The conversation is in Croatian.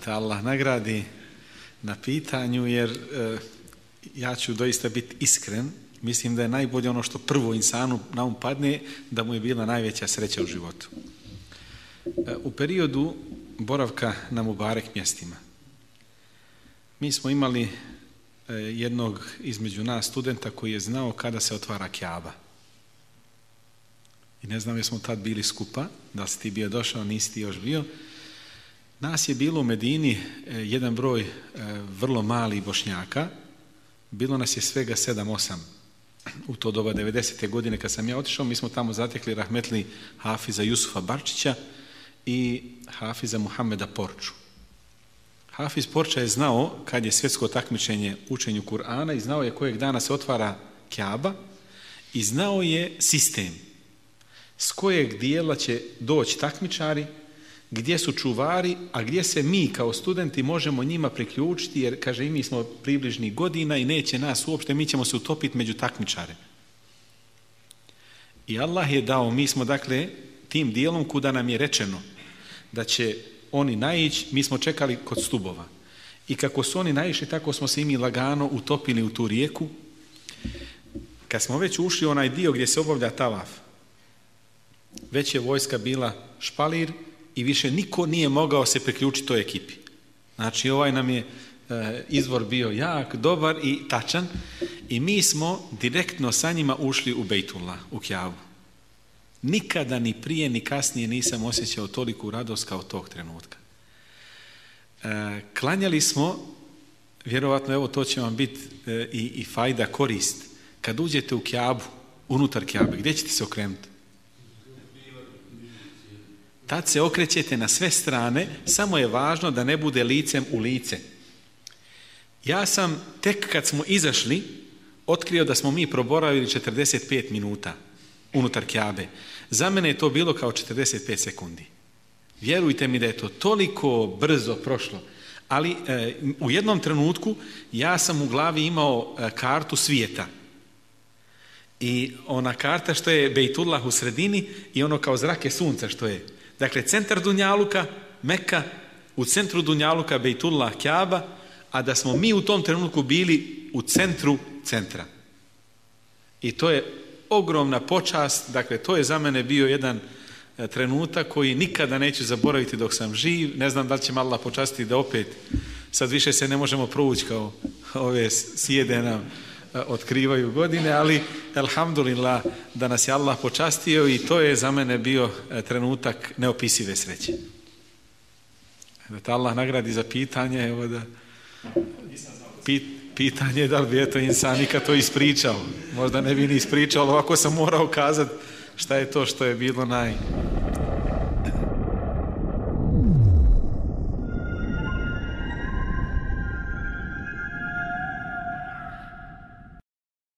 te Allah nagradi na pitanju, jer ja ću doista biti iskren. Mislim da je najbolje ono što prvo insanu na um padne, da mu je bila najveća sreća u životu. U periodu boravka na Mubarek mjestima mi smo imali jednog između nas studenta koji je znao kada se otvara Kjaba. I ne znam jesmo tad bili skupa, da li si ti bio došao, nisi ti još bio. Nas je bilo u Medini jedan broj vrlo malih Bošnjaka, bilo nas je svega 7-8 u to doba 90. godine kad sam ja otišao. Mi smo tamo zatekli rahmetli Hafiza Jusufa Barčića i Hafiza Muhameda Porču. Hafiz Porča je znao kad je svjetsko takmičenje učenju Kur'ana i znao je kojeg dana se otvara Kjaba i znao je sistem s kojeg dijela će doći takmičari, gdje su čuvari, a gdje se mi kao studenti možemo njima priključiti, jer kaže i mi smo približnih godina i neće nas uopšte, mi ćemo se utopiti među takmičare. I Allah je dao, mi smo dakle tim dijelom kuda nam je rečeno da će oni naići, mi smo čekali kod stubova. I kako su oni naišli, tako smo se i mi lagano utopili u tu rijeku. Kad smo već ušli u onaj dio gdje se obavlja tavaf, već je vojska bila špalir i više niko nije mogao se priključiti toj ekipi. Znači ovaj nam je izvor bio jak, dobar i tačan i mi smo direktno sa njima ušli u Bejtullah, u Kjabu. Nikada ni prije ni kasnije nisam osjećao toliku radost kao tog trenutka. Klanjali smo, vjerovatno evo to će vam biti i fajda, korist. Kad uđete u Kjabu, unutar Kjabe, gdje ćete se okrenuti? Tad se okrećete na sve strane, samo je važno da ne bude licem u lice. Ja sam tek kad smo izašli otkrio da smo mi proboravili 45 minuta unutar Kjabe. Za mene je to bilo kao 45 sekundi. Vjerujte mi da je to toliko brzo prošlo. Ali u jednom trenutku ja sam u glavi imao kartu svijeta. I ona karta što je Bejtullah u sredini i ono kao zrake sunca što je. Dakle, centar Dunjaluka, Meka, u centru Dunjaluka Bejtullah, Kjaba, a da smo mi u tom trenutku bili u centru centra. I to je ogromna počast, dakle to je za mene bio jedan trenutak koji nikada neću zaboraviti dok sam živ. Ne znam da li će me Allah počastiti da opet, sad više se ne možemo provući kao ove sjede nam otkrivaju godine, ali alhamdulillah da nas je Allah počastio i to je za mene bio trenutak neopisive sreće. Da te Allah nagradi za pitanje, evo da pitanje je da li bi eto insan nikad to ispričao. Možda ne bi ni ispričao, ali ovako sam morao kazati šta je to što je bilo